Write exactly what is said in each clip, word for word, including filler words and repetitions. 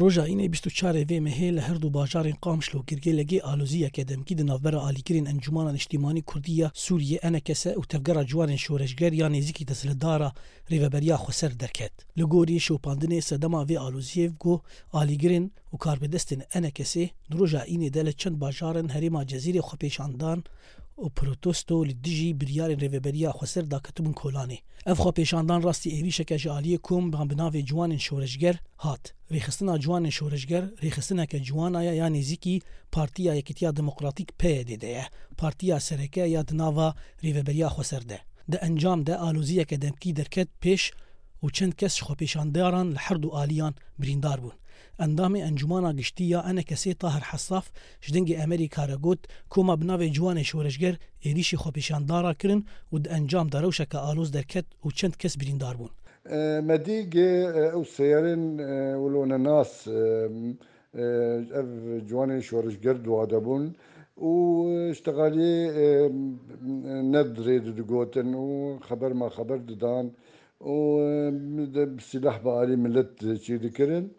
Roja înê bîst û çarê vê mehê li her du bajarên Qamişlo û Girgêlekê aloziyeke demkî di navbera alîgirên Encûmana Niştîmanî Kurdî ya Sûriyê, ENKS, û Tevgera Ciwanên Şoreşger ya nêzîkî desthilatdara Rêveberiya Xweser derket. Li gorî şopandinê sedema vê aloziyê got, alîgirên û karbidestên ENKSê di roja înê de li çend bajarên herêma Cezîrê xwepêşandan û protesto li dijî biryarên Rêveberiya Xweser daketibûn kolanê. Ev xwepêşandan rastî êrîşeke ji aliyê kom bi navê Ciwanên Şoreşger hat. Rêxistina Ciwanên Şoreşger rêxistineke ciwana ye ya nêzîkî Partiya Yekîtiya Demokratîk, P Y D, de ye, partiya sereke ya di nava Rêveberiya Xweser de. Di encam de aloziyeke demkî derket pêş û çend kes ji xwepêşandaran li her du aliyan birîndar bûn. Endamê Encûmana Giştî ya ENKSê Tahir Hesaf ji Dengê Amerîka re got, koma bi navê Ciwanê Şoreşger êrîşî xwepêşandara kirin û di encam de rewşeke aloz derket û çend kes birîndar bûn. E, me dî gê, e, ew seyarên, e, wilo nenas, e, e, ev ciwanên şoreşger dua de bûn û, e, ji teqaliyê, e, ne dirê digotin û xeber ma xeber didan û, e, de bi sîlah bi alî millet çê dikirin.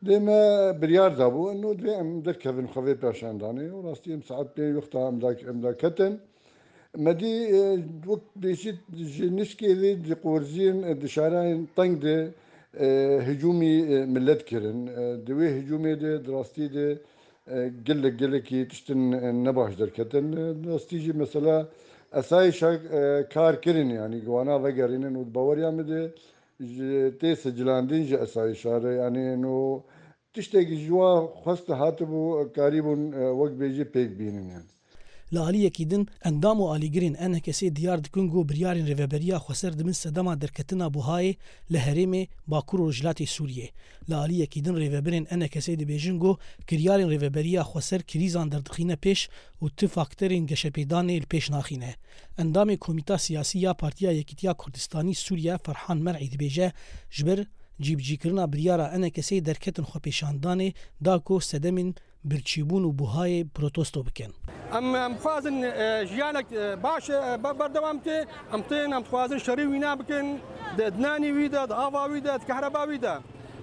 Dê me biryar dabû, eno divê em derkevin xwe vê pêşandanê û rastî em saet pênc wexta em da, em da ketin. Me dî, e, wek bêjî ji nişkê vê di qorziyên, e, di şarayên teng de, e, hicûmî, e, millet kirin. E, di wê hicûmê de, di rastî de, e, gelek, gelekî tiştin, e, nebaş derketin. E, di rastî jî mesela esayîşa, e, kar kirin, yanî wana vegerînin û di baweriya min de ji tê sicilandin ji esayîşa re, yanî no tiştekî ji wa xwest hatibû, karîbûn, e, wek bêjî pêk bînin, yanî. Li aliyekî din, endam û alîgirên ENKSê diyar dikin ku biryarên Rêveberiya Xweser di bin sedema derketina buhayê li herêmê Bakur û Rojhilatê Sûriyê. Li aliyekî din, rêvebirên ENKSê dibêjin ku kiryarên Rêveberiya Xweser krîzan derdixîne pêş û tu faktorên geşepêdanê li pêş naxîne. Endamê Komîta Siyasî ya Partiya Yekîtiya Kurdistanî Sûriye Ferhan Mer'î dibêje, ji ber cîbicîkirina biryara ENKSê derketin xwepêşandanê da ku sedemên birçîbûn û buhayê protesto bikin. Em, em dixwazin, e, jiyanek, e, baş, e, be-, berdewam ke, em tên, em dixwazin şerî wîna bikin, di, di nanî wî de, di ava wî de, di kehreba wî de.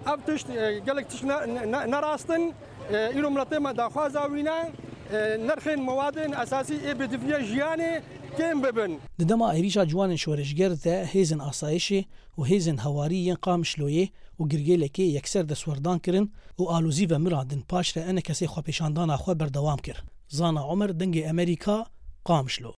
Ev tişt, e, gelek tişt ne, ne, ne, ne rast in. E, îro miletê me daxwaza wî ne, e, nirxên mewadên esasî ê bêdifîya jiyanê kêm bibin. Di dema êrîşa ciwanên şoreşger de hêzên asayişê û hêzên hewarî yên Qamişloyê û Girgêlekê yekser destwerdan kirin û alozî vemirandin, paşre ENKSê xwepêşandana xwe berdewam kir. Zana Omer, Dengê Amerîka, Qamişlo.